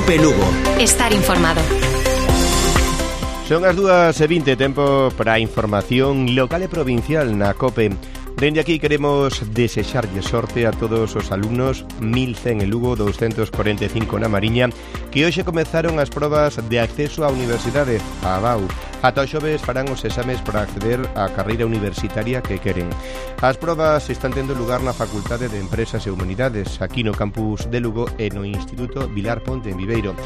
COPE Lugo. Estar informado. Son as 2:20, tempo para a información local e provincial na COPE. Dende aquí queremos desexarlle sorte a todos os alumnos, 1100 en Lugo, 245 na Mariña, que hoxe comezaron as probas de acceso á universidade, a BAU. Ata os xoves farán os exames para acceder á carreira universitaria que queren. As probas están tendo lugar na Facultade de Empresas e Humanidades, aquí no campus de Lugo e no Instituto Vilar Ponte en Viveiro.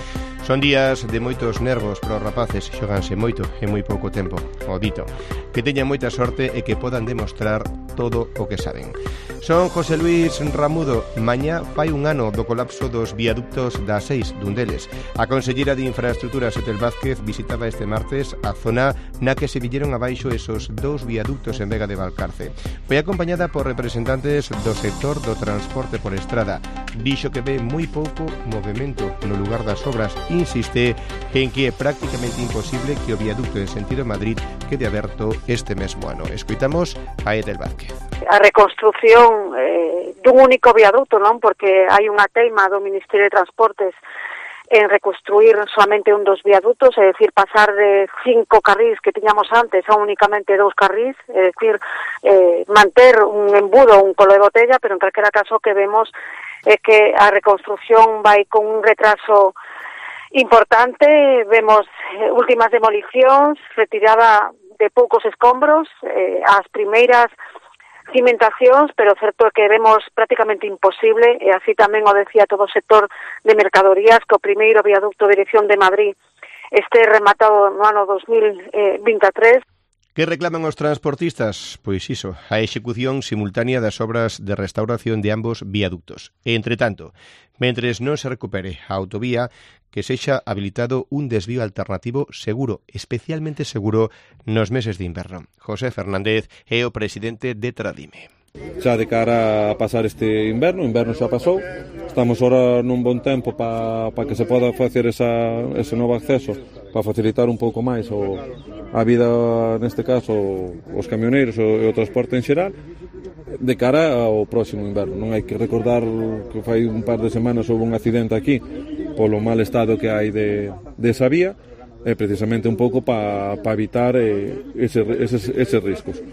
Son días de moitos nervos para os rapaces, xoganse moito en moi pouco tempo. O dito, que teñan moita sorte e que podan demostrar todo o que saben. Son José Luis Ramudo. Mañá fai un ano do colapso dos viaductos da 6 dun deles. A conselleira de Infraestructuras, Etel Vázquez, visitaba este martes a zona na que se villeron abaixo esos dous viaductos en Vega de Valcarce. Foi acompañada por representantes do sector do transporte por estrada. Dixo que ve moi pouco movimento no lugar das obras. Insiste en que é prácticamente imposible que o viaducto en sentido Madrid quede aberto este mesmo ano. Escoitamos a Etel Vázquez. A reconstrución dun único viaduto, non? Porque hai unha teima do Ministerio de Transportes en reconstruir solamente un dos viadutos, é dicir, pasar de 5 carrís que tiñamos antes a únicamente 2 carrís, é dicir, manter un embudo, un colo de botella, pero en calquera caso que vemos é que a reconstrución vai con un retraso importante. Vemos últimas demolicións, retirada de poucos escombros, as primeiras cimentacións, pero certo é que vemos prácticamente imposible, e así tamén o decía todo o sector de mercadorías, que o primeiro viaducto de dirección de Madrid este rematado no ano 2023. Que reclaman os transportistas? Pois iso, a execución simultánea das obras de restauración de ambos viaductos. E, entre tanto, mentres non se recupere a autovía, que sexa habilitado un desvío alternativo seguro, especialmente seguro nos meses de inverno. José Fernández é o presidente de Tradime. Xa de cara a pasar este inverno, o inverno xa pasou, estamos ahora nun bon tempo para que se poda facer ese novo acceso, para facilitar un pouco máis a vida, neste caso, os camioneiros e o transporte en xeral, de cara ao próximo inverno. Non hai que recordar que fai un par de semanas houve un accidente aquí polo mal estado que hai desa vía, e precisamente un pouco para evitar eses riscos.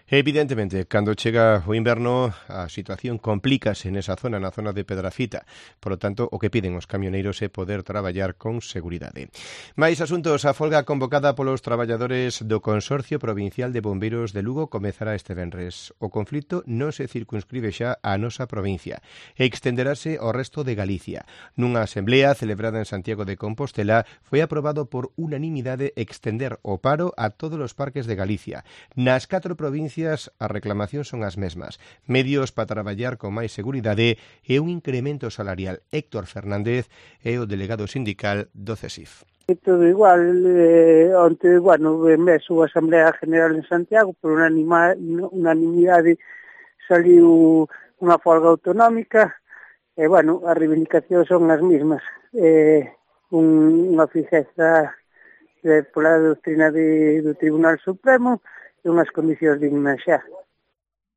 Evidentemente, cando chega o inverno, a situación complícase nesa zona, na zona de Pedrafita. Por lo tanto, o que piden os camioneiros é poder traballar con seguridade. Mais asuntos, a folga convocada polos traballadores do Consorcio Provincial de Bombeiros de Lugo comezará este venres. O conflito non se circunscribe xa á nosa provincia. Extenderase ao resto de Galicia. Nunha asemblea celebrada en Santiago de Compostela, foi aprobado por unanimidade extender o paro a todos os parques de Galicia. Nas 4 provincias as reclamacións son as mesmas. Medios para traballar con máis seguridade e un incremento salarial. Héctor Fernández é o delegado sindical do CESIF. Todo igual, onte, mes a Asamblea General en Santiago, por unanimidade saliu unha folga autonómica, e, as reivindicacións son as mesmas. Unha fixeza pola doutrina do Tribunal Supremo, unhas condicións dignas xa.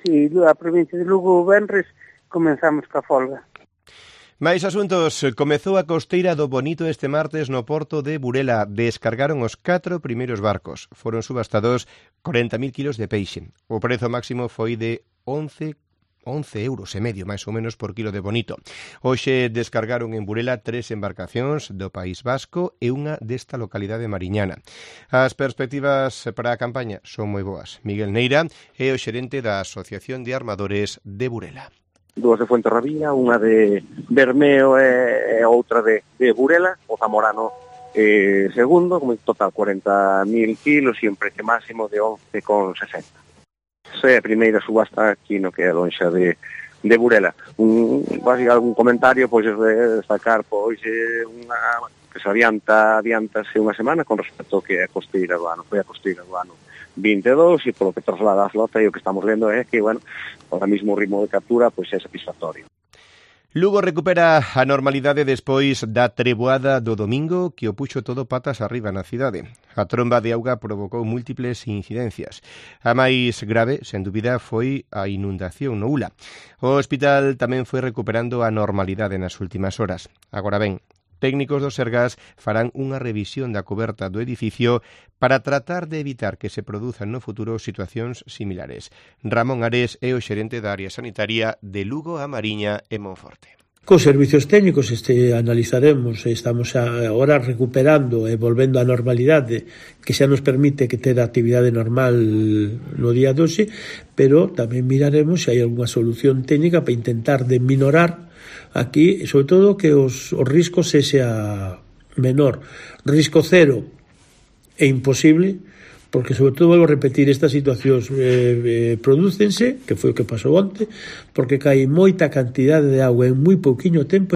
Si, a provincia de Lugo, venres, comenzamos ca folga. Mais asuntos. Comezou a costeira do Bonito este martes no porto de Burela. Descargaron os 4 primeiros barcos. Foron subastados 40.000 kilos de peixe. O prezo máximo foi de 11,5 euros máis ou menos por kilo de bonito. Hoxe descargaron en Burela 3 embarcacións do País Vasco e unha desta localidade mariñana. As perspectivas para a campaña son moi boas. Miguel Neira é o xerente da Asociación de Armadores de Burela. 2 de Fuenterrabía, unha de Bermeo e outra de Burela, o Zamorano segundo, como en total 40.000 kilos e un precio máximo de 11,60. É a primeira subasta aquí no que é a lonxa de Burela. Algún comentario, pois destacar que se adiantase unha semana con respecto ao que é a costeira do ano. Foi a costeira do ano 22 e polo que traslada a flota e o que estamos vendo é que, ahora mismo o ritmo de captura pois é satisfactorio. Lugo recupera a normalidade despois da treboada do domingo que o puxo todo patas arriba na cidade. A tromba de auga provocou múltiples incidencias. A máis grave, sen dúbida, foi a inundación no Ula. O hospital tamén foi recuperando a normalidade nas últimas horas. Agora ben, Técnicos do Sergas farán unha revisión da coberta do edificio para tratar de evitar que se produzan no futuro situacións similares. Ramón Ares é o xerente da área sanitaria de Lugo, A Mariña e Monforte. Cos servicios técnicos analizaremos, estamos agora recuperando e volvendo á normalidade que xa nos permite que ter a actividade normal no día 12, pero tamén miraremos se hai algunha solución técnica para intentar de minorar aquí, sobre todo que os riscos sea menor. Risco cero é imposible, porque sobre todo volvo a repetir, estas situacións prodúcense, que foi o que pasou onte, porque cae moita cantidade de auga en moi pouquiño tempo.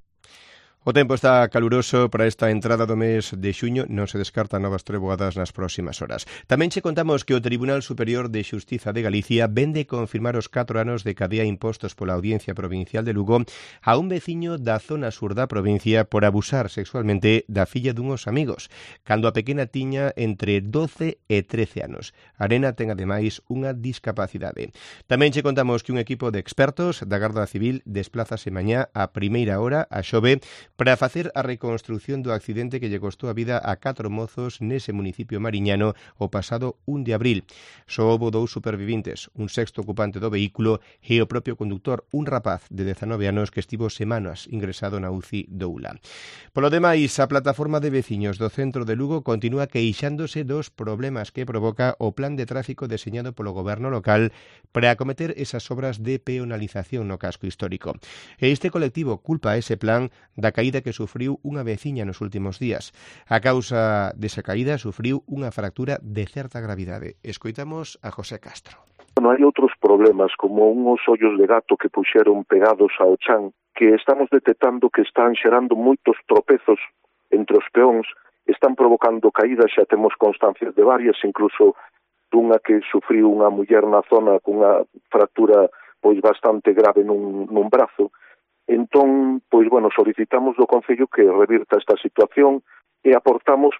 O tempo está caluroso para esta entrada do mes de xuño, non se descartan novas treboadas nas próximas horas. Tamén che contamos que o Tribunal Superior de Xustiza de Galicia vende confirmar os 4 anos de cadea impostos pola Audiencia Provincial de Lugo a un veciño da zona sur da provincia por abusar sexualmente da filla dunhos amigos, cando a pequena tiña entre 12 e 13 anos. Arena ten ademais unha discapacidade. Tamén che contamos que un equipo de expertos da Garda Civil desplázase mañá a primeira hora a Xove para facer a reconstrución do accidente que lle costou a vida a 4 mozos nese municipio mariñano o pasado 1 de abril. Só houbo 2 supervivintes, un sexto ocupante do vehículo e o propio conductor, un rapaz de 19 anos que estivo semanas ingresado na UCI do ULA. Polo demais, a plataforma de veciños do centro de Lugo continúa queixándose dos problemas que provoca o plan de tráfico deseñado polo goberno local para acometer esas obras de peonalización no casco histórico. E este colectivo culpa ese plan da caída que sufriu unha veciña nos últimos días. A causa desa caída sufriu unha fractura de certa gravidade. Escoitamos a José Castro. Hai outros problemas, como unhos ollos de gato que puxeron pegados ao chan, que estamos detectando que están xerando moitos tropezos entre os peóns, están provocando caídas, xa temos constancias de varias, incluso dunha que sufriu unha muller na zona cunha fractura pois bastante grave nun brazo. Entón, solicitamos do Concello que revirta esta situación e aportamos,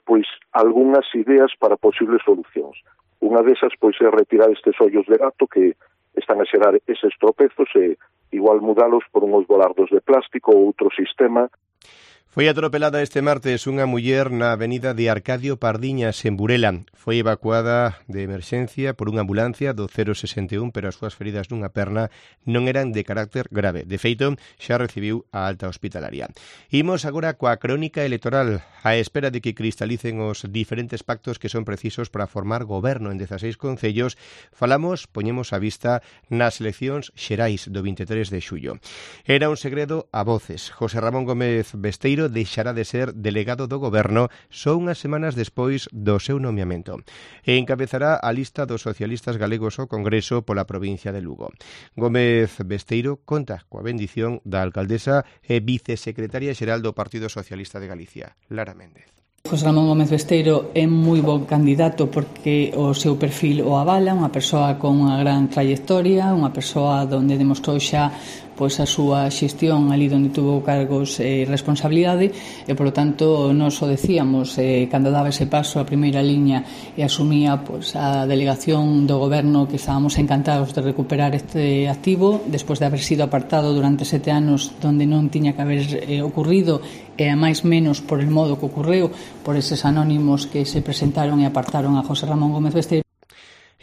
algunhas ideas para posibles solucións. Unha desas, é retirar estes ollos de gato que están a xerar eses tropezos e igual mudalos por unhos volardos de plástico ou outro sistema. Foi atropelada este martes unha muller na avenida de Arcadio Pardiñas, en Burela. Foi evacuada de emerxencia por unha ambulancia do 061, pero as súas feridas nunha perna non eran de carácter grave. De feito, xa recibiu a alta hospitalaria. Imos agora coa crónica electoral, á espera de que cristalicen os diferentes pactos que son precisos para formar goberno en 16 concellos. Poñemos a vista nas eleccións xerais do 23 de xullo. Era un segredo a voces. José Ramón Gómez Besteiro deixará de ser delegado do goberno só unhas semanas despois do seu nomeamento e encabezará a lista dos socialistas galegos ao Congreso pola provincia de Lugo. Gómez Besteiro conta coa bendición da alcaldesa e vicesecretaria xeral do Partido Socialista de Galicia, Lara Méndez. José Ramón Gómez Besteiro é moi bon candidato porque o seu perfil o avala, unha persoa con unha gran trayectoria, unha persoa onde demostrou xa a súa xestión ali onde tuvo cargos e responsabilidade e, polo tanto, nós o decíamos cando daba ese paso a primeira liña e asumía a delegación do goberno que estábamos encantados de recuperar este activo despois de haber sido apartado durante 7 anos donde non tiña que haber ocurrido e a máis menos por el modo que ocorreu por eses anónimos que se presentaron e apartaron a José Ramón Gómez Besteiro.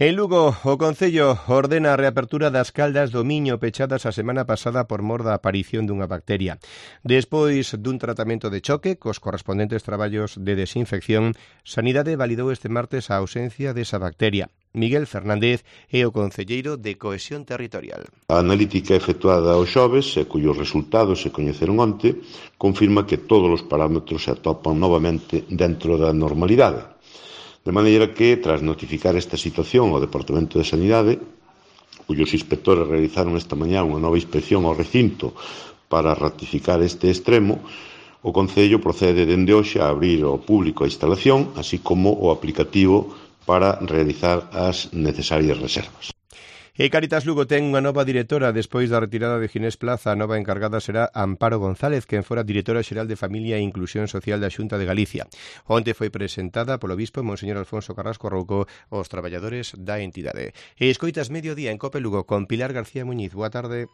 En Lugo, o Concello ordena a reapertura das caldas do Miño pechadas a semana pasada por mor da aparición dunha bacteria. Despois dun tratamento de choque cos correspondentes traballos de desinfección, Sanidade validou este martes a ausencia desa bacteria. Miguel Fernández é o concelleiro de Cohesión Territorial. A analítica efectuada os xoves, e cuyos resultados se coñeceron onte, confirma que todos os parámetros se atopan novamente dentro da normalidade. De maneira que, tras notificar esta situación ao Departamento de Sanidade, cuyos inspectores realizaron esta mañá unha nova inspección ao recinto para ratificar este extremo, o Concello procede dende hoxe a abrir ao público a instalación, así como o aplicativo para realizar as necesarias reservas. E Cáritas Lugo ten unha nova directora despois da retirada de Ginés Plaza. A nova encargada será Amparo González, quen fora directora xeral de Familia e Inclusión Social da Xunta de Galicia. Onte foi presentada polo bispo Monseñor Alfonso Carrasco Rouco aos traballadores da entidade. E escoitas Mediodía en Cope Lugo con Pilar García Muñiz. Boa tarde.